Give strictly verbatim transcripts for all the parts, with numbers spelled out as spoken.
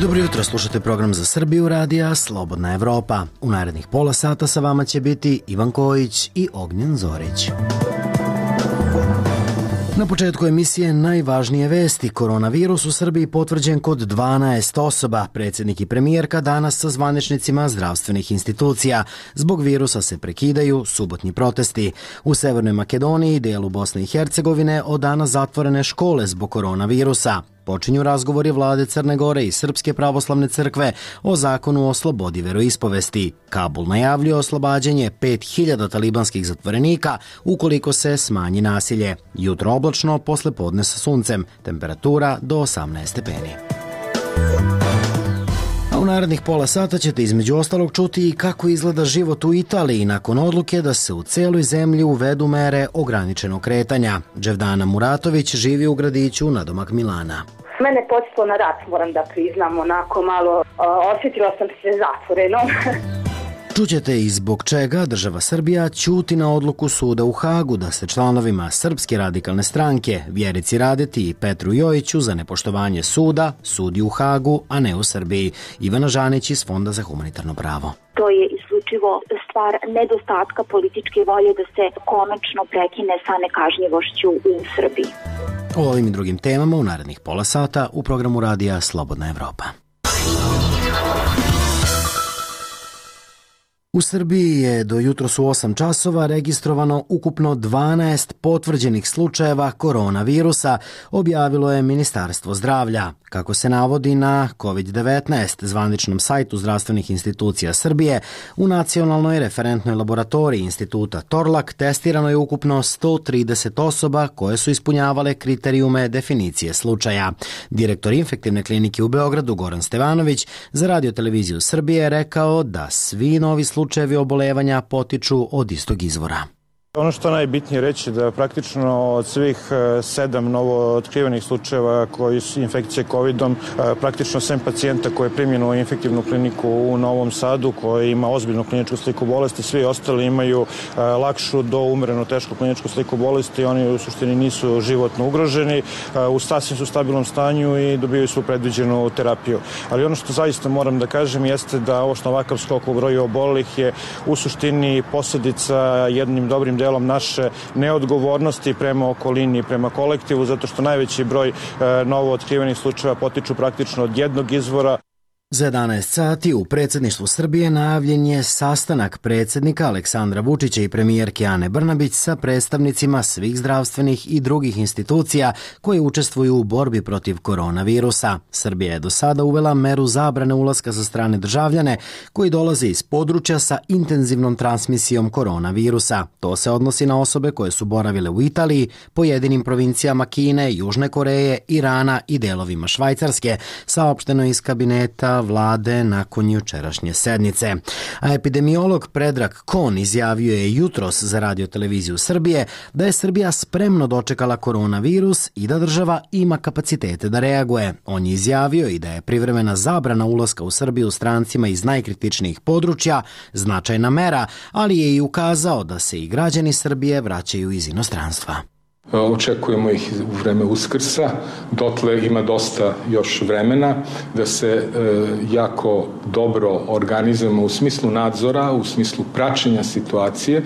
Dobro jutro, slušate program za Srbiju radija Slobodna Evropa. U narednih pola sata sa vama će biti Ivan Kojić i Ognjen Zorić. Na početku emisije najvažnije vesti. Koronavirus u Srbiji potvrđen kod dvanaest osoba. Predsjednik i premijerka danas sa zvaničnicima zdravstvenih institucija. Zbog virusa se prekidaju subotnji protesti. U Severnoj Makedoniji, delu Bosne i Hercegovine, od danas zatvorene škole zbog koronavirusa. Počinju razgovori vlade Crne Gore i Srpske pravoslavne crkve o zakonu o slobodi veroispovesti. Kabul najavljuje oslobađanje pet hiljada talibanskih zatvorenika ukoliko se smanji nasilje. Jutro oblačno, posle podne sa suncem. Temperatura do osamnaest stepeni. A u narednih pola sata ćete između ostalog čuti i kako izgleda život u Italiji nakon odluke da se u celoj zemlji uvedu mere ograničenog kretanja. Dževdana Muratović živi u gradiću nadomak Milana. Mene podsjetilo na rat, moram da priznam, onako malo uh, osjetila sam se zatvoreno. Čućete i zbog čega država Srbija ćuti na odluku suda u Hagu da se članovima Srpske radikalne stranke Vjerici Radeti i Petru Jojiću za nepoštovanje suda sudi u Hagu, a ne u Srbiji. Ivana Žanić iz Fonda za humanitarno pravo. To je isključivo stvar nedostatka političke volje da se konačno prekine sa nekažnjivošću u Srbiji. O ovim i drugim temama u narednih pola sata u programu radija Slobodna Evropa. U Srbiji je do jutros u osam časova registrovano ukupno dvanaest potvrđenih slučajeva koronavirusa, objavilo je Ministarstvo zdravlja. Kako se navodi na kovid devetnaest zvaničnom sajtu zdravstvenih institucija Srbije, u nacionalnoj referentnoj laboratoriji instituta Torlak testirano je ukupno sto trideset osoba koje su ispunjavale kriterijume definicije slučaja. Direktor infektivne klinike u Beogradu Goran Stevanović za Radio televiziju Srbije je rekao da svi novi slučajevi obolevanja potiču od istog izvora. Ono što najbitnije reći da praktično od svih sedam novo otkrivenih slučajeva koji su infekcije covidom, praktično sedam pacijenta koje je primljeno u infektivnu kliniku u Novom Sadu, koji ima ozbiljnu kliničku sliku bolesti, svi ostali imaju lakšu do umereno tešku kliničku sliku bolesti, oni u suštini nisu životno ugroženi, u sasvim su stabilnom stanju i dobijaju svu predviđenu terapiju. Ali ono što zaista moram da kažem jeste da ovo što ovakav skok u broju obolelih je u suštini posljedica jednim dobrim delom naše neodgovornosti prema okolini i prema kolektivu, zato što najveći broj e, novo otkrivenih slučajeva potiču praktično od jednog izvora. Za jedanaest sati u predsjedništvu Srbije najavljen je sastanak predsjednika Aleksandra Vučića i premijerke Ane Brnabić sa predstavnicima svih zdravstvenih i drugih institucija koje učestvuju u borbi protiv koronavirusa. Srbija je do sada uvela meru zabrane ulaska za strane državljane koji dolaze iz područja sa intenzivnom transmisijom koronavirusa. To se odnosi na osobe koje su boravile u Italiji, pojedinim provincijama Kine, Južne Koreje, Irana i delovima Švajcarske, saopšteno iz kabineta vlade nakon jučerašnje sednice. A epidemiolog Predrag Kon izjavio je jutros za Radio televiziju Srbije da je Srbija spremno dočekala koronavirus i da država ima kapacitete da reaguje. On je izjavio i da je privremena zabrana ulaska u Srbiju strancima iz najkritičnijih područja značajna mera, ali je i ukazao da se i građani Srbije vraćaju iz inostranstva. Očekujemo ih u vreme Uskrsa, dotle ima dosta još vremena da se e, jako dobro organizujemo u smislu nadzora, u smislu praćenja situacije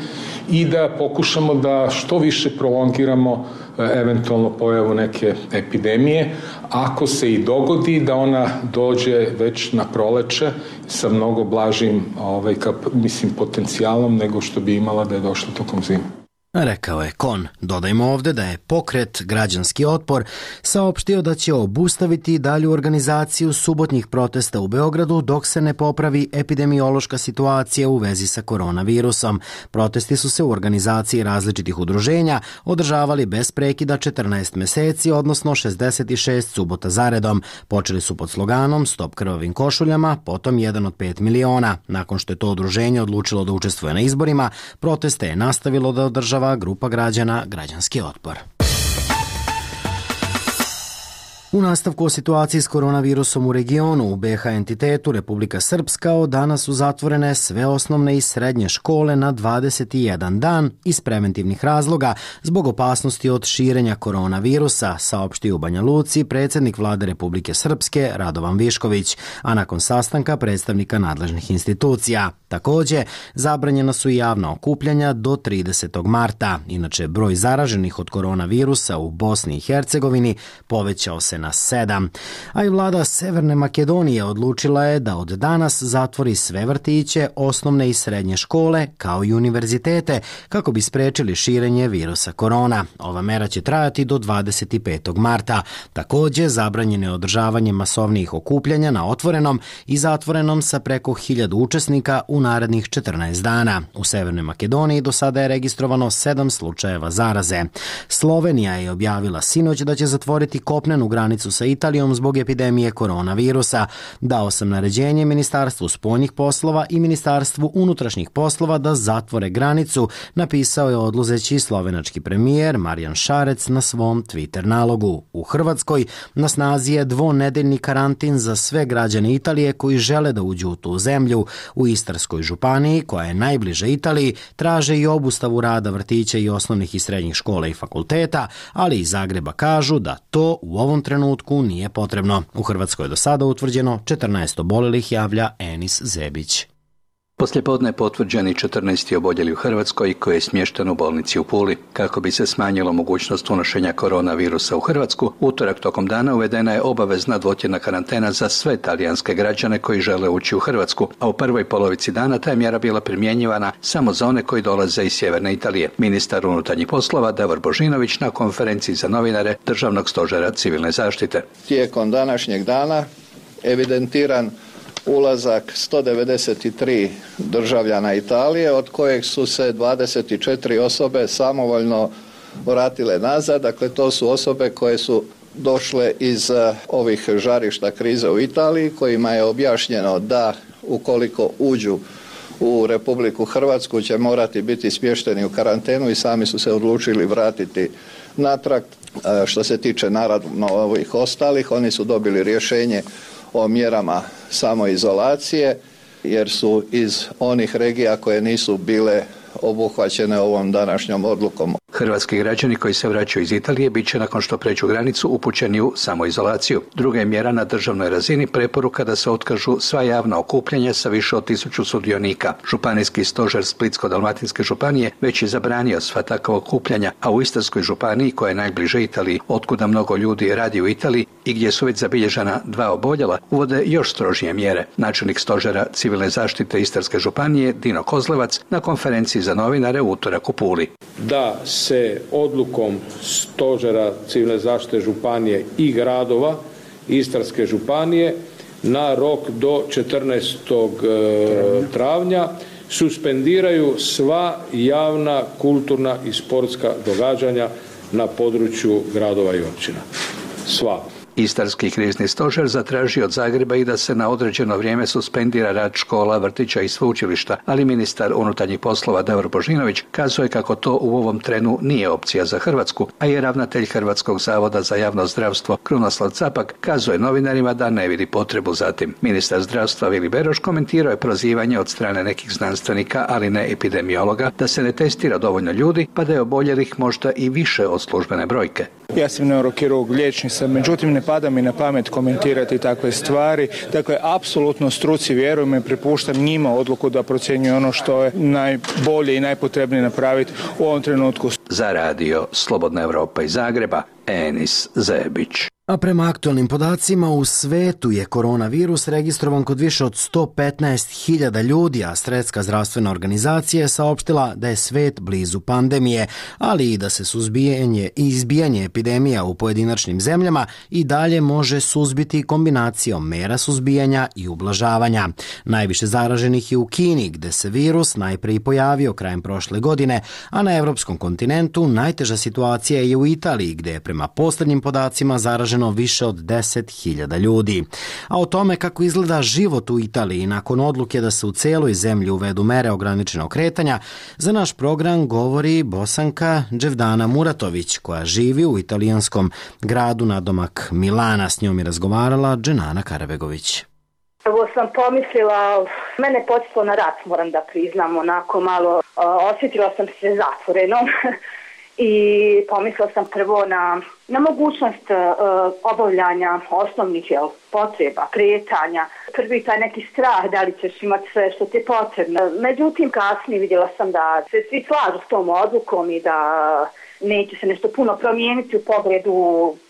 i da pokušamo da što više prolongiramo e, eventualno pojavu neke epidemije, ako se i dogodi da ona dođe već na proleće sa mnogo blažim ovaj, kap, mislim, potencijalom nego što bi imala da je došla tokom zime. Rekao je Kon. Dodajmo ovdje da je pokret Građanski otpor saopštio da će obustaviti dalju organizaciju subotnjih protesta u Beogradu dok se ne popravi epidemiološka situacija u vezi sa koronavirusom. Protesti su se u organizaciji različitih udruženja održavali bez prekida četrnaest meseci, odnosno šezdeset šest subota zaredom. Počeli su pod sloganom Stop krvavim košuljama, potom jedan od pet miliona. Nakon što je to udruženje odlučilo da učestvuje na izborima, proteste je nastavilo da održava grupa građana Građanski otpor. U nastavku o situaciji s koronavirusom u regionu, u be ha entitetu Republika Srpska od danas su zatvorene sve osnovne i srednje škole na dvadeset jedan dan iz preventivnih razloga zbog opasnosti od širenja koronavirusa, saopštio u Banja Luci predsjednik vlade Republike Srpske Radovan Višković, a nakon sastanka predstavnika nadležnih institucija. Također, zabranjena su i javna okupljanja do tridesetog marta. Inače, broj zaraženih od koronavirusa u Bosni i Hercegovini povećao se na sedam. A i vlada Severne Makedonije odlučila je da od danas zatvori sve vrtiće, osnovne i srednje škole, kao i univerzitete, kako bi sprečili širenje virusa korona. Ova mera će trajati do dvadeset petog marta. Također, zabranjeno je održavanje masovnijih okupljanja na otvorenom i zatvorenom sa preko hiljadu učesnika u narednih četrnaest dana. U Severnoj Makedoniji do sada je registrovano sedam slučajeva zaraze. Slovenija je objavila sinoć da će zatvoriti kopnenu granicu sa Italijom zbog epidemije koronavirusa. Dao sam naređenje Ministarstvu spoljnih poslova i Ministarstvu unutrašnjih poslova da zatvore granicu, napisao je odluzeći slovenački premijer Marijan Šarec na svom Twitter nalogu. U Hrvatskoj na snazi je dvonedeljni karantin za sve građane Italije koji žele da uđu u tu zemlju. U Istarskoj županiji, koja je najbliža Italiji, traže i obustavu rada vrtića i osnovnih i srednjih škola i fakulteta, ali iz Zagreba kažu da to u ovom trenutku nije potrebno. U Hrvatskoj je do sada utvrđeno četrnaest oboljelih, javlja Enis Zebić. Poslijepodne potvrđeni četrnaest oboljeli u Hrvatskoj koji je smješten u bolnici u Puli. Kako bi se smanjilo mogućnost unošenja koronavirusa u Hrvatsku, utorak tokom dana uvedena je obavezna dvotjedna karantena za sve talijanske građane koji žele ući u Hrvatsku, a u prvoj polovici dana ta je mjera bila primjenjivana samo za one koji dolaze iz sjeverne Italije. Ministar unutarnjih poslova Davor Božinović na konferenciji za novinare Državnog stožera civilne zaštite. Tijekom današnjeg dana evidentiran ulazak sto devedeset tri državljana Italije, od kojeg su se dvadeset četiri osobe samovoljno vratile nazad. Dakle, to su osobe koje su došle iz ovih žarišta krize u Italiji, kojima je objašnjeno da ukoliko uđu u Republiku Hrvatsku će morati biti smješteni u karantenu i sami su se odlučili vratiti natrag. Što se tiče naravno ovih ostalih, oni su dobili rješenje o mjerama samoizolacije jer su iz onih regija koje nisu bile obuhvaćene ovom današnjom odlukom. Hrvatski građani koji se vraćaju iz Italije bit će nakon što pređu granicu upućeni u samoizolaciju. Druga je mjera na državnoj razini preporuka da se otkažu sva javna okupljanja sa više od tisuću sudionika. Županijski stožer Splitsko-dalmatinske županije već je zabranio sva takva okupljanja, a u Istarskoj županiji, koja je najbliže Italiji, otkuda mnogo ljudi radi u Italiji i gdje su već zabilježena dva oboljela, uvode još strožije mjere. Načelnik stožera civilne zaštite Istarske županije Dino Kozlevac na konferenciji za novinare u utorak u Puli. Da se odlukom stožera civilne zaštite županije i gradova Istarske županije na rok do četrnaestog travnja suspendiraju sva javna, kulturna i sportska događanja na području gradova i općina. Sva. Istarski krizni stožer zatražio od Zagreba i da se na određeno vrijeme suspendira rad škola, vrtića i sveučilišta, ali ministar unutarnjih poslova Davor Božinović kazuje kako to u ovom trenu nije opcija za Hrvatsku, a je ravnatelj Hrvatskog zavoda za javno zdravstvo Krunoslav Capak kazuje novinarima da ne vidi potrebu za tim. Ministar zdravstva Vili Beroš komentirao je prozivanje od strane nekih znanstvenika, ali ne epidemiologa, da se ne testira dovoljno ljudi, pa da je oboljelih možda i više od službene brojke. Ja sam neurokirurg, liječnik sam, međutim ne pada mi na pamet komentirati takve stvari. Dakle, apsolutno struci vjerujem i prepuštam njima odluku da procjenjuju ono što je najbolje i najpotrebnije napraviti u ovom trenutku. Za radio Slobodna Europa iz Zagreba, Enis Zebić. A prema aktualnim podacima u svetu je koronavirus registrovan kod više od sto petnaest hiljada ljudi, a Svjetska zdravstvena organizacija je saopštila da je svet blizu pandemije, ali i da se suzbijanje i izbijanje epidemija u pojedinačnim zemljama i dalje može suzbiti kombinacijom mera suzbijanja i ublažavanja. Najviše zaraženih je u Kini, gde se virus najprije pojavio krajem prošle godine, a na evropskom kontinentu najteža situacija je u Italiji, gde je prema posljednjim podacima zaraženo zaraženo više od deset hiljada ljudi. A o tome kako izgleda život u Italiji nakon odluke da se u celoj zemlji uvedu mere ograničenog kretanja, za naš program govori Bosanka Dževdana Muratović, koja živi u italijanskom gradu nadomak Milana. S njom je razgovarala Dženana Karabegović. Prvo sam pomislila, mene podsjetilo na rat, moram da priznam, onako malo osjetila sam se zatvorenom i pomislila sam prvo na, na mogućnost uh, obavljanja osnovnih jel, potreba, kretanja. Prvi taj neki strah da li ćeš imati sve što ti je potrebno. Međutim, kasnije vidjela sam da se svi slažu s tom odlukom i da neće se nešto puno promijeniti u pogledu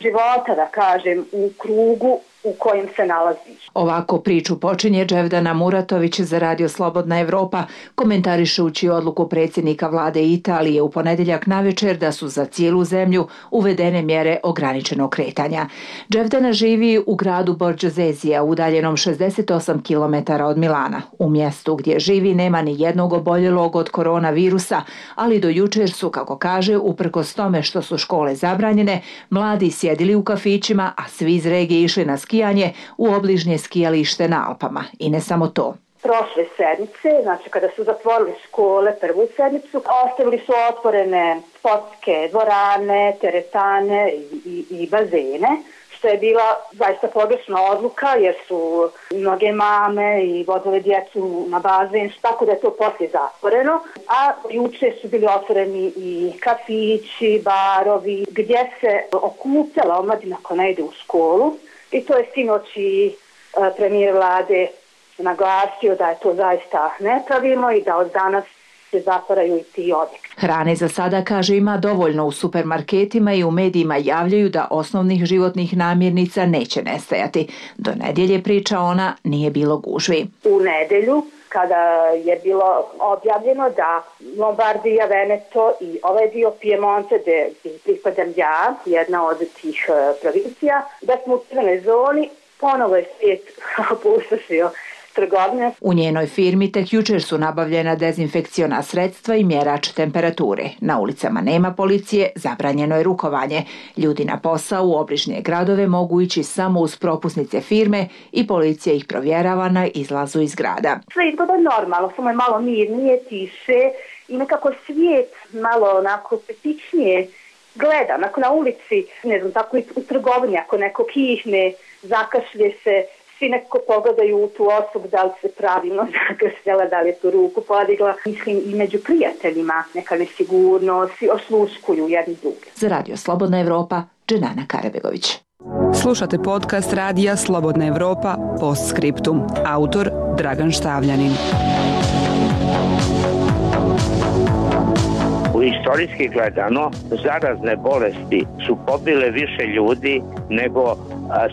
života, da kažem, u krugu u kojem se nalaziš. Ovako priču počinje Dževdana Muratović za Radio Slobodna Evropa, komentarišući odluku predsjednika vlade Italije u ponedjeljak navečer da su za cijelu zemlju uvedene mjere ograničenog kretanja. Dževdana živi u gradu Borđozezija, udaljenom šezdeset osam kilometara od Milana. U mjestu gdje živi nema ni jednog oboljelog od koronavirusa, ali do jučer su, kako kaže, uprkos tome što su škole zabranjene, mladi sjedili u kafićima, a svi iz regije išli na skijanje u obližnje skijalište na Alpama. I ne samo to. Prošle sedmice, znači kada su zatvorili škole prvu sedmicu, ostavili su otvorene sportske dvorane, teretane i, i, i bazene, što je bila zaista pogrešna odluka jer su mnoge mame i vodile djecu na bazen, tako da je to poslije zatvoreno. A juče su bili otvoreni i kafići, barovi, gdje se okupljala omladina koja ne ide u školu. I to je sinoć i premijer vlade naglasio da je to zaista nepravilno i da od danas se zatvaraju i ti objekti. Hrane za sada, kaže, ima dovoljno u supermarketima i u medijima javljaju da osnovnih životnih namirnica neće nestajati. Do nedjelje, priča ona, nije bilo gužvi. U nedjelju, kada je bilo objavljeno da Lombardija, Veneto i ovaj dio Piemonte, gdje pripadam ja, jedna od tih provincija, da smo u crvenoj zoni, ponovo je svijet opustošio trgovine. U njenoj firmi tek jučer su nabavljena dezinfekciona sredstva i mjerač temperature. Na ulicama nema policije, zabranjeno je rukovanje. Ljudi na posao u obližnje gradove mogu ići samo uz propusnice firme i policija ih provjerava na izlazu iz grada. Sve izgleda normalno, samo je malo mirnije, tiše i nekako svijet malo onako petičnije gleda. Onako na ulici, ne znam, tako i u trgovini, ako neko kihne, zakašlje se, svi nekako pogledaju u tu osobu da li se pravilno zakašljala, da li je tu ruku podigla. Mislim i među prijateljima neka nesigurnost, svi osluškuju jedni druge. Za Radio Slobodna Evropa, Dženana Karabegović. Slušate podcast Radija Slobodna Evropa Postscriptum. Autor Dragan Štavljanin. U istorijski gledano, zarazne bolesti su pobile više ljudi nego a,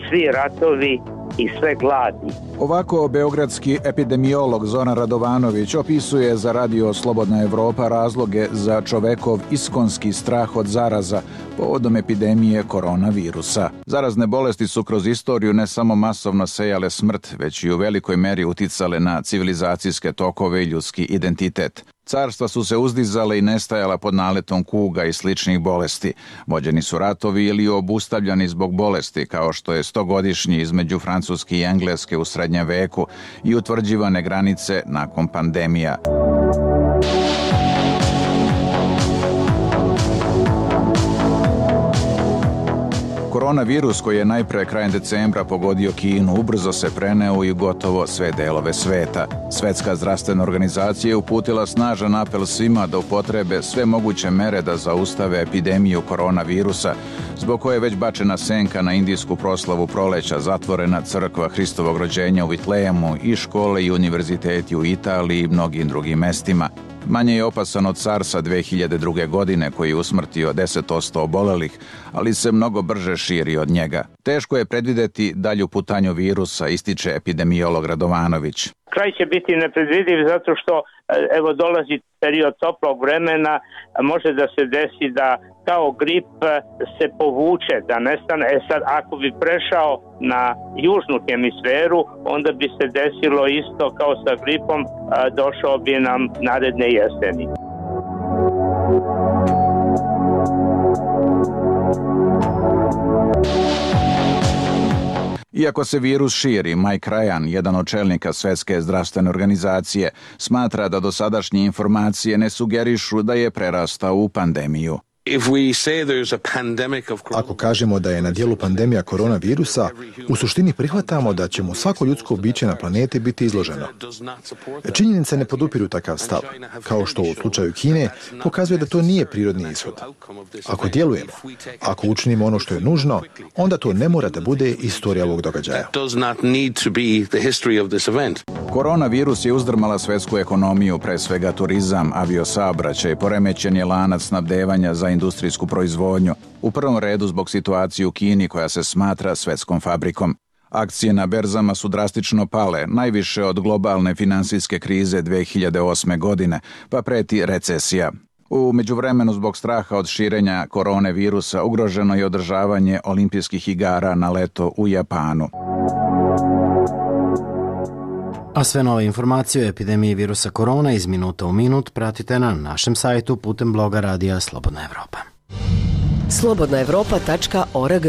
svi ratovi i sve gladi. Ovako beogradski epidemiolog Zoran Radovanović opisuje za Radio Slobodna Evropa razloge za čovekov iskonski strah od zaraza povodom epidemije koronavirusa. Zarazne bolesti su kroz istoriju ne samo masovno sejale smrt, već i u velikoj meri uticale na civilizacijske tokove i ljudski identitet. Carstva su se uzdizale i nestajala pod naletom kuga i sličnih bolesti. Vođeni su ratovi ili obustavljani zbog bolesti, kao što je stogodišnji između Francuske i Engleske u srednjem veku i utvrđivane granice nakon pandemija. Koronavirus, koji je najpre krajem decembra pogodio Kinu, ubrzo se preneo i gotovo sve delove sveta. Svetska zdravstvena organizacija je uputila snažan apel svima da upotrebe sve moguće mere da zaustave epidemiju koronavirusa, zbog koje je već bačena senka na indijsku proslavu proleća, zatvorena crkva Hristovog rođenja u Vitlejemu i škole i univerziteti u Italiji i mnogim drugim mestima. Manje je opasan od SARS-a dve hiljade druge. godine, koji je usmrtio deset posto obolelih, ali se mnogo brže širi od njega. Teško je predvideti dalju putanju virusa, ističe epidemiolog Radovanović. Kraj će biti nepredvidiv zato što evo dolazi period toplog vremena, može da se desi da kao grip se povuče, da nestane. E sad, ako bi prešao na južnu hemisferu, onda bi se desilo isto kao sa gripom, došao bi nam naredne jeseni. Iako se virus širi, Mike Ryan, jedan od čelnika Svetske zdravstvene organizacije, smatra da dosadašnje informacije ne sugerišu da je prerastao u pandemiju. Ako kažemo da je na dijelu pandemija koronavirusa, u suštini prihvatamo da će mu svako ljudsko biće na planeti biti izloženo. Činjenice ne podupiru takav stav, kao što u slučaju Kine pokazuje da to nije prirodni ishod. Ako djelujemo, ako učinimo ono što je nužno, onda to ne mora da bude istorija ovog događaja. Koronavirus je uzdrmala svetsku ekonomiju, pre svega turizam, aviosaobraćaj, poremećen je lanac snabdevanja za industrijsku proizvodnju, u prvom redu zbog situacije u Kini koja se smatra svetskom fabrikom. Akcije na berzama su drastično pale, najviše od globalne finansijske krize dve hiljade osme. godine, pa preti recesija. U međuvremenu zbog straha od širenja korone virusa ugroženo je održavanje olimpijskih igara na leto u Japanu. A sve nove informacije o epidemiji virusa korona iz minuta u minut pratite na našem sajtu putem bloga Radija Slobodna Evropa. slobodna evropa tačka org.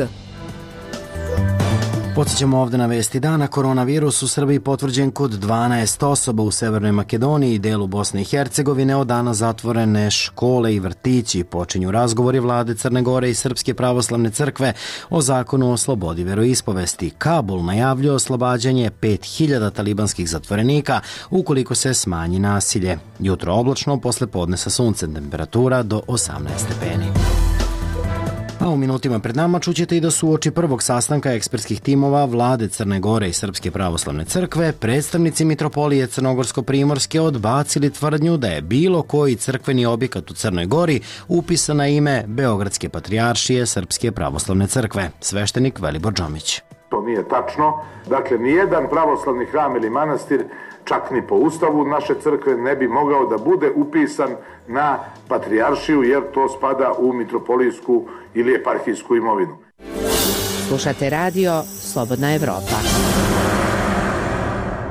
Podsjećamo ovde na vesti dana. Koronavirus u Srbiji potvrđen kod dvanaest osoba u Severnoj Makedoniji i delu Bosne i Hercegovine. Od dana zatvorene škole i vrtići. Počinju razgovori vlade Crne Gore i Srpske pravoslavne crkve o zakonu o slobodi veroispovesti. Kabul najavljuje oslobađanje pet hiljada talibanskih zatvorenika ukoliko se smanji nasilje. Jutro oblačno, posle podne sa suncem, temperatura do osamnaest stepeni. A u minutima pred nama čućete i da su uoči prvog sastanka ekspertskih timova vlade Crne Gore i Srpske pravoslavne crkve predstavnici mitropolije Crnogorsko-Primorske odbacili tvrdnju da je bilo koji crkveni objekat u Crnoj Gori upisan na ime Beogradske patrijaršije Srpske pravoslavne crkve. Sveštenik Velibor Džomić. To nije tačno. Dakle, nijedan pravoslavni hram ili manastir, čak ni po ustavu naše crkve, ne bi mogao da bude upisan na patrijaršiju, jer to spada u mitropolijsku ili eparhijsku imovinu. Slušate radio Slobodna Evropa.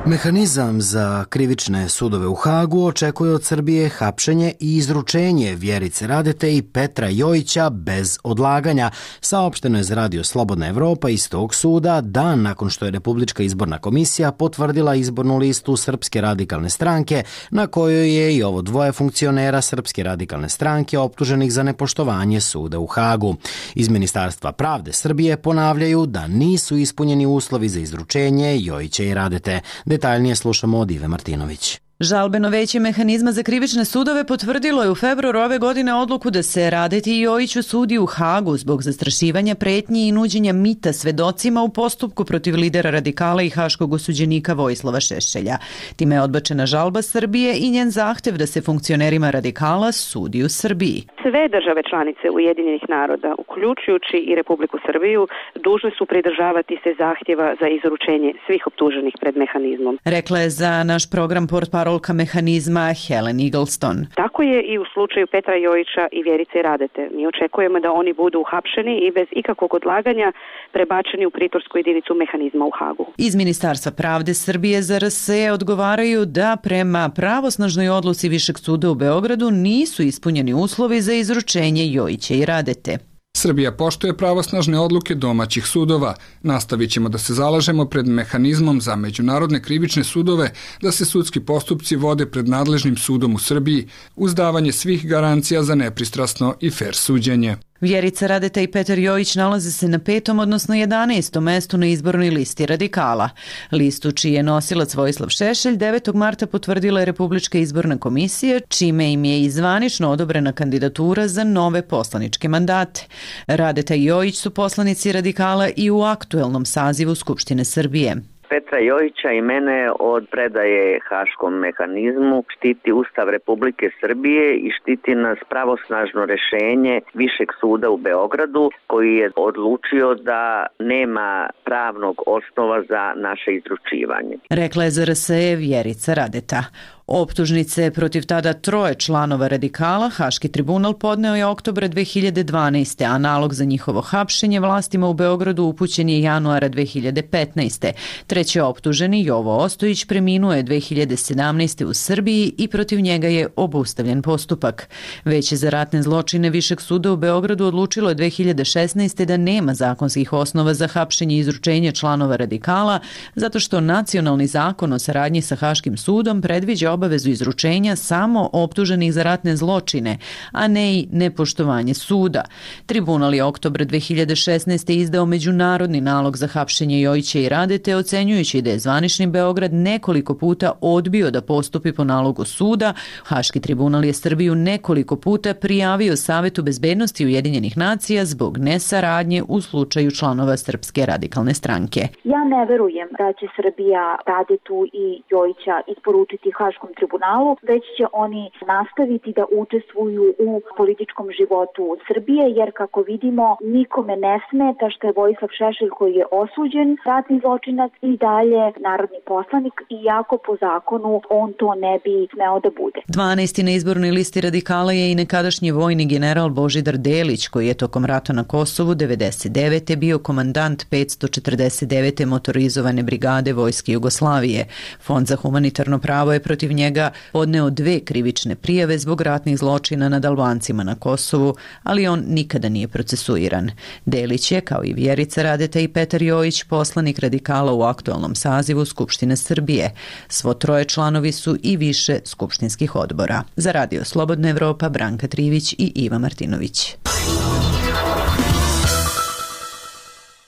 Mehanizam za krivične sudove u Hagu očekuje od Srbije hapšenje i izručenje Vjerice Radete i Petra Jojića bez odlaganja. Saopšteno je za radio Slobodna Evropa iz tog suda dan nakon što je Republička izborna komisija potvrdila izbornu listu Srpske radikalne stranke, na kojoj je i ovo dvoje funkcionera Srpske radikalne stranke optuženih za nepoštovanje suda u Hagu. Iz Ministarstva pravde Srbije ponavljaju da nisu ispunjeni uslovi za izručenje Jojića i Radete. Detaljnije slušamo od Ive Martinović. Žalbeno veće mehanizma za krivične sudove potvrdilo je u februaru ove godine odluku da se Radeti i Jojiću sudi u Hagu zbog zastrašivanja, pretnji i nuđenja mita svedocima u postupku protiv lidera radikala i haškog osuđenika Vojislava Šešelja. Time je odbačena žalba Srbije i njen zahtev da se funkcionerima radikala sudi u Srbiji. Sve države članice Ujedinjenih naroda, uključujući i Republiku Srbiju, dužne su pridržavati se zahtjeva za izručenje svih optuženih pred mehanizmom. Rekla je za naš program portparolka mehanizma Helen Eagleston. Tako je i u slučaju Petra Jojića i Vjerice Radete. Mi očekujemo da oni budu uhapšeni i bez ikakvog odlaganja prebačeni u pritorsku jedinicu mehanizma u Hagu. Iz Ministarstva pravde Srbije za R S E odgovaraju da prema pravosnažnoj odluci Višeg suda u Beogradu nisu ispunjeni uslovi za izručenje Jojića i Radete. Srbija poštuje pravosnažne odluke domaćih sudova. Nastavit ćemo da se zalažemo pred mehanizmom za međunarodne krivične sudove da se sudski postupci vode pred nadležnim sudom u Srbiji uz davanje svih garancija za nepristrasno i fer suđenje. Vjerica Radeta i Petar Jojić nalaze se na petom, odnosno jedanaestom mestu na izbornoj listi radikala. Listu čiji je nosilac Vojislav Šešelj devetog marta potvrdila je Republička izborna komisija, čime im je i zvanično odobrena kandidatura za nove poslaničke mandate. Radeta i Jojić su poslanici radikala i u aktuelnom sazivu Skupštine Srbije. Petra Jojića i mene od predaje haškom mehanizmu štiti Ustav Republike Srbije i štiti nas pravosnažno rešenje Višeg suda u Beogradu koji je odlučio da nema pravnog osnova za naše izručivanje. Rekla je za R S E Vjerica Radeta. Optužnice protiv tada troje članova radikala Haški tribunal podneo je oktobra dve hiljade dvanaeste. a nalog za njihovo hapšenje vlastima u Beogradu upućen je januara dve hiljade petnaeste. Treći optuženi, Jovo Ostojić, preminuo je dve hiljade sedamnaeste. u Srbiji i protiv njega je obustavljen postupak. Veće za ratne zločine Višeg suda u Beogradu odlučilo je dve hiljade šesnaeste. da nema zakonskih osnova za hapšenje i izručenje članova radikala, zato što nacionalni zakon o saradnji sa Haškim sudom predviđa obavezu izručenja samo optuženih za ratne zločine, a ne i nepoštovanje suda. Tribunal je oktobra dve hiljade šesnaeste. izdao međunarodni nalog za hapšenje Jojića i Radete, ocenjujući da je zvanični Beograd nekoliko puta odbio da postupi po nalogu suda. Haški tribunal je Srbiju nekoliko puta prijavio Savetu bezbednosti Ujedinjenih nacija zbog nesaradnje u slučaju članova Srpske radikalne stranke. Ja ne verujem da će Srbija Radetu i Jojića isporučiti Haškom tribunalu, već će oni nastaviti da učestvuju u političkom životu Srbije, jer kako vidimo nikome ne smeta što je Vojislav Šešelj, koji je osuđen ratni zločinac, i dalje narodni poslanik, iako po zakonu on to ne bi smeo da bude. dvanaesti na izbornoj listi radikala je i nekadašnji vojni general Božidar Delić, koji je tokom rata na Kosovu devedeset devete. bio komandant petsto četrdeset devete. motorizovane brigade Vojske Jugoslavije. Fond za humanitarno pravo je protiv njega podneo dve krivične prijave zbog ratnih zločina nad Albancima na Kosovu, ali on nikada nije procesuiran. Delić je, kao i Vjerica Radeta i Petar Jojić, poslanik radikala u aktualnom sazivu Skupštine Srbije. Svo troje članovi su i više skupštinskih odbora. Za Radio Slobodna Evropa, Branka Trivić i Iva Martinović.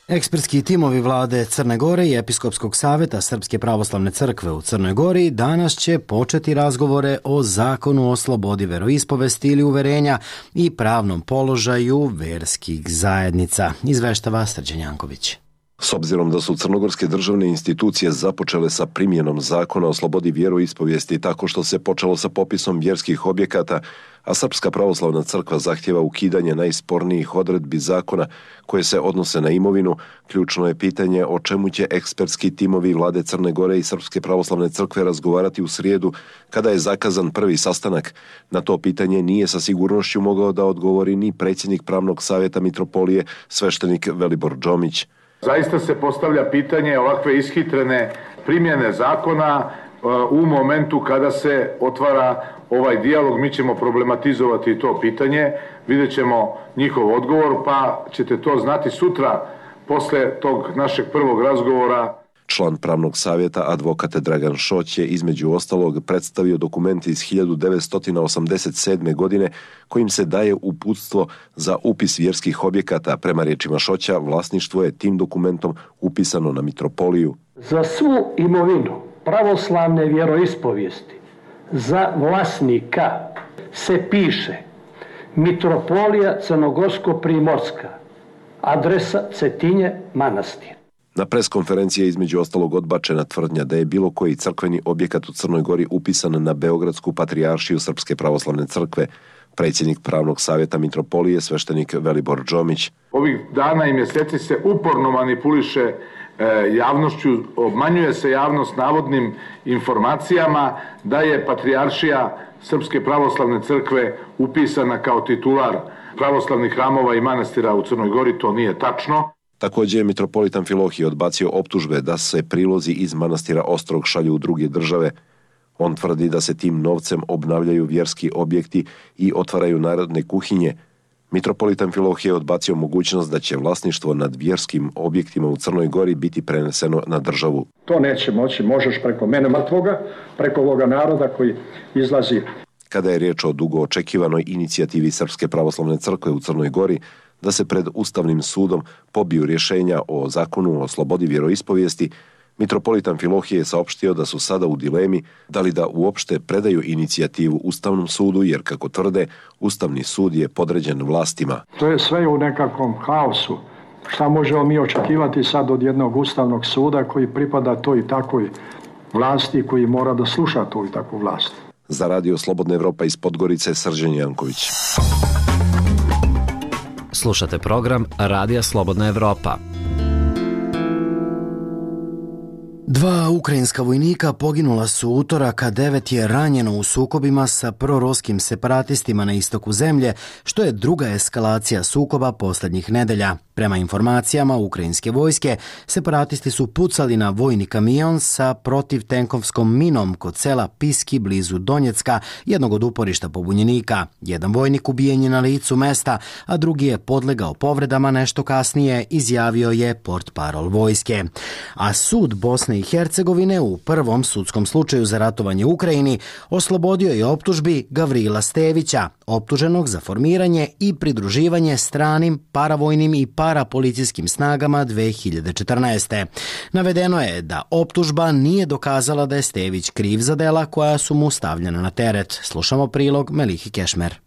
Ekspertski timovi vlade Crne Gore i Episkopskog saveta Srpske pravoslavne crkve u Crnoj Gori danas će početi razgovore o zakonu o slobodi veroispovesti ili uverenja i pravnom položaju verskih zajednica, izveštava Srđan Janković. S obzirom da su crnogorske državne institucije započele sa primjenom zakona o slobodi vjeroispovijesti tako što se počelo sa popisom vjerskih objekata, a Srpska pravoslavna crkva zahtjeva ukidanje najspornijih odredbi zakona koje se odnose na imovinu, ključno je pitanje o čemu će ekspertski timovi vlade Crne Gore i Srpske pravoslavne crkve razgovarati u srijedu, kada je zakazan prvi sastanak. Na to pitanje nije sa sigurnošću mogao da odgovori ni predsjednik pravnog savjeta mitropolije, sveštenik Velibor Džomić. Zaista se postavlja pitanje ovakve ishitrene primjene zakona u momentu kada se otvara ovaj dijalog. Mi ćemo problematizovati to pitanje, vidjet ćemo njihov odgovor, pa ćete to znati sutra posle tog našeg prvog razgovora. Član pravnog savjeta advokat Dragan Šoć je između ostalog predstavio dokument iz hiljadu devetsto osamdeset sedme. godine kojim se daje uputstvo za upis vjerskih objekata. Prema riječima Šoća, vlasništvo je tim dokumentom upisano na mitropoliju. Za svu imovinu pravoslavne vjeroispovijesti za vlasnika se piše Mitropolija Crnogorsko-Primorska, adresa Cetinje, manastir. Na preskonferenciji je između ostalog odbačena tvrdnja da je bilo koji crkveni objekat u Crnoj Gori upisan na Beogradsku patrijaršiju Srpske pravoslavne crkve. Predsjednik pravnog savjeta mitropolije, sveštenik Velibor Džomić. Ovih dana i mjeseci se uporno manipuliše e, javnošću, obmanjuje se javnost navodnim informacijama da je patrijaršija Srpske pravoslavne crkve upisana kao titular pravoslavnih hramova i manastira u Crnoj Gori. To nije tačno. Također je mitropolit Amfilohije odbacio optužbe da se prilozi iz manastira Ostrog šalju u druge države. On tvrdi da se tim novcem obnavljaju vjerski objekti i otvaraju narodne kuhinje. Mitropolit Amfilohije odbacio mogućnost da će vlasništvo nad vjerskim objektima u Crnoj Gori biti preneseno na državu. To neće moći, možeš preko mene mrtvoga, preko ovoga naroda koji izlazi. Kada je riječ o dugo očekivanoj inicijativi Srpske pravoslavne crkve u Crnoj Gori da se pred Ustavnim sudom pobiju rješenja o zakonu o slobodi vjeroispovijesti, mitropolit Amfilohije je saopštio da su sada u dilemi da li da uopšte predaju inicijativu Ustavnom sudu, jer kako tvrde, Ustavni sud je podređen vlastima. To je sve u nekakvom haosu. Šta možemo mi očekivati sad od jednog Ustavnog suda koji pripada toj i takvoj vlasti, koji mora da sluša tu i takvu vlast? Za Radio Slobodna Evropa iz Podgorice, Srđan Janković. Slušate program Radija Slobodna Evropa. Dva ukrajinska vojnika poginula su utorak, a devet je ranjeno u sukobima sa proruskim separatistima na istoku zemlje, što je druga eskalacija sukoba posljednjih nedelja. Prema informacijama ukrajinske vojske, separatisti su pucali na vojni kamion sa protivtenkovskom minom kod sela Piski blizu Donjecka, jednog od uporišta pobunjenika. Jedan vojnik ubijen je na licu mesta, a drugi je podlegao povredama, nešto kasnije izjavio je portparol vojske. A sud Bosne i Hercegovine u prvom sudskom slučaju za ratovanje u Ukrajini oslobodio je optužbi Gavrila Stevića, optuženog za formiranje i pridruživanje stranim paravojnim i parapolicijskim snagama dve hiljade četrnaeste. Navedeno je da optužba nije dokazala da je Stević kriv za dela koja su mu stavljena na teret. Slušamo prilog Melihi Kešmer.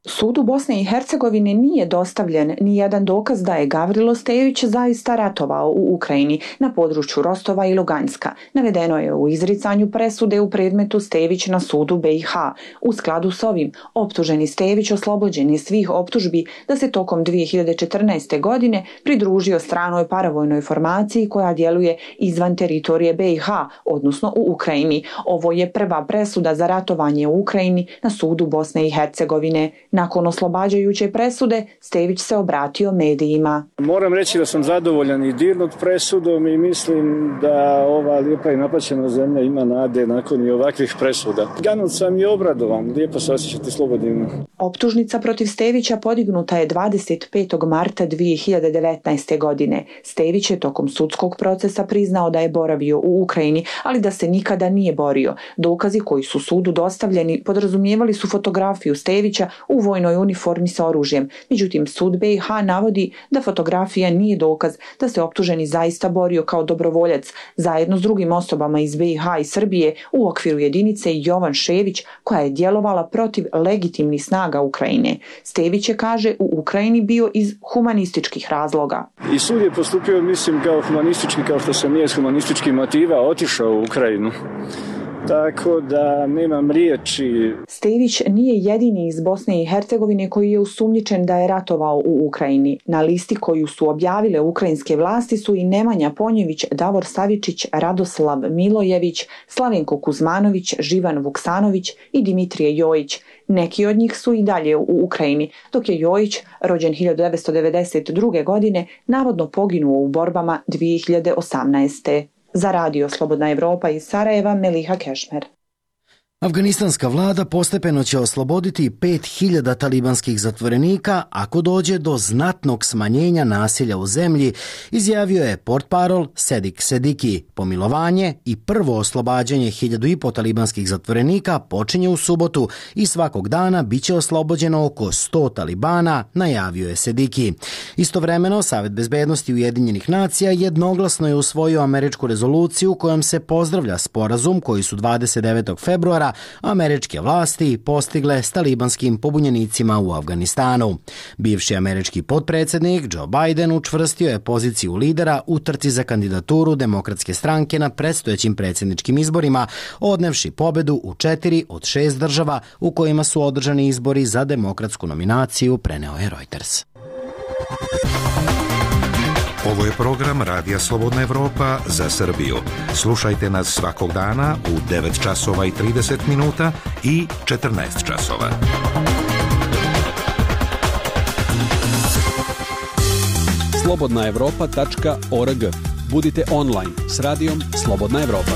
Sudu Bosne i Hercegovine nije dostavljen ni jedan dokaz da je Gavrilo Stević zaista ratovao u Ukrajini na području Rostova i Luganska. Navedeno je u izricanju presude u predmetu Stević na sudu B i H. U skladu s ovim, optuženi Stević oslobođen je svih optužbi da se tokom dve hiljade četrnaeste. godine pridružio stranoj paravojnoj formaciji koja djeluje izvan teritorije B i H, odnosno u Ukrajini. Ovo je prva presuda za ratovanje u Ukrajini na sudu Bosne i Hercegovine. Nakon oslobađajuće presude, Stević se obratio medijima. Moram reći da sam zadovoljan i dirnut presudom i mislim da ova lijepa i napaćena zemlja ima nade nakon i ovakvih presuda. Ganut sam i obradovan, lijepo se osjećati slobodnim. Optužnica protiv Stevića podignuta je dvadeset petog marta dve hiljade devetnaeste. godine. Stević je tokom sudskog procesa priznao da je boravio u Ukrajini, ali da se nikada nije borio. Dokazi koji su sudu dostavljeni podrazumijevali su fotografiju Stevića u vojnoj uniformi sa oružjem. Međutim, sud B i H navodi da fotografija nije dokaz da se optuženi zaista borio kao dobrovoljac zajedno s drugim osobama iz B i H i Srbije u okviru jedinice Jovan Šević koja je djelovala protiv legitimnih snaga Ukrajine. Stević je, kaže, u Ukrajini bio iz humanističkih razloga. I sud je postupio, mislim, kao humanistički, kao što sam nije s humanističkih motiva otišao u Ukrajinu. Tako da nemam riječi. Stević nije jedini iz Bosne i Hercegovine koji je osumnjičen da je ratovao u Ukrajini. Na listi koju su objavile ukrajinske vlasti su i Nemanja Ponjević, Davor Savičić, Radoslav Milojević, Slavenko Kuzmanović, Živan Vuksanović i Dimitrije Jojić. Neki od njih su i dalje u Ukrajini, dok je Jojić, rođen hiljadu devetsto devedeset druge. godine, navodno poginuo u borbama dve hiljade osamnaeste. Za radio Slobodna Evropa iz Sarajeva, Meliha Kešmer. Afganistanska vlada postepeno će osloboditi pet hiljada talibanskih zatvorenika ako dođe do znatnog smanjenja nasilja u zemlji, izjavio je portparol Sedik Sediki. Pomilovanje i prvo oslobađanje hiljadu i po talibanskih zatvorenika počinje u subotu i svakog dana bit će oslobođeno oko sto talibana, najavio je Sediki. Istovremeno, Savet bezbednosti Ujedinjenih nacija jednoglasno je usvojio američku rezoluciju kojom se pozdravlja sporazum koji su dvadeset devetog februara američke vlasti postigle s talibanskim pobunjenicima u Afganistanu. Bivši američki potpredsjednik Joe Biden učvrstio je poziciju lidera u trci za kandidaturu Demokratske stranke na predstojećim predsjedničkim izborima, odnevši pobedu u četiri od šest država u kojima su održani izbori za demokratsku nominaciju, preneo je Reuters. Ovo je program Radija Slobodna Evropa za Srbiju. Slušajte nas svakog dana u devet časova i trideset minuta i četrnaest časova. slobodna evropa tačka org. Budite online s radijom Slobodna Evropa.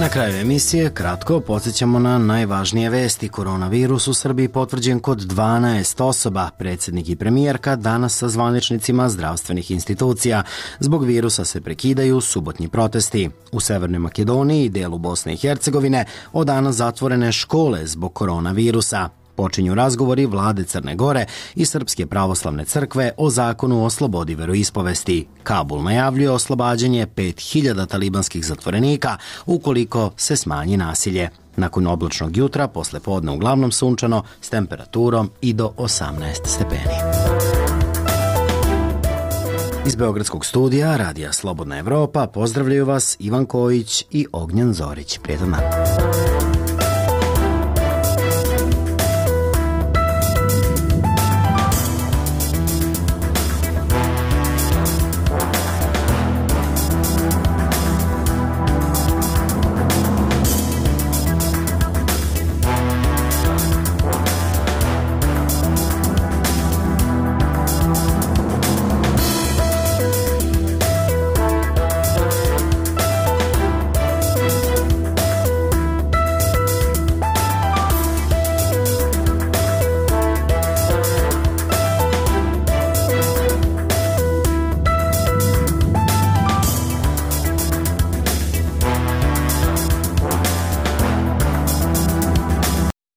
Na kraju emisije kratko podsjećamo na najvažnije vesti. Koronavirus u Srbiji potvrđen kod dvanaest osoba. Predsjednik i premijerka danas sa zvaničnicima zdravstvenih institucija. Zbog virusa se prekidaju subotnji protesti. U Severnoj Makedoniji i delu Bosne i Hercegovine od danas zatvorene škole zbog koronavirusa. Počinju razgovori vlade Crne Gore i Srpske pravoslavne crkve o zakonu o slobodi veroispovesti. Kabul najavljuje oslobađanje pet hiljada talibanskih zatvorenika ukoliko se smanji nasilje. Nakon oblačnog jutra, posle podne uglavnom sunčano, s temperaturom i do osamnaest stepeni. Iz Beogradskog studija Radija Slobodna Evropa pozdravljaju vas Ivan Kojić i Ognjen Zorić. Prijetan dan.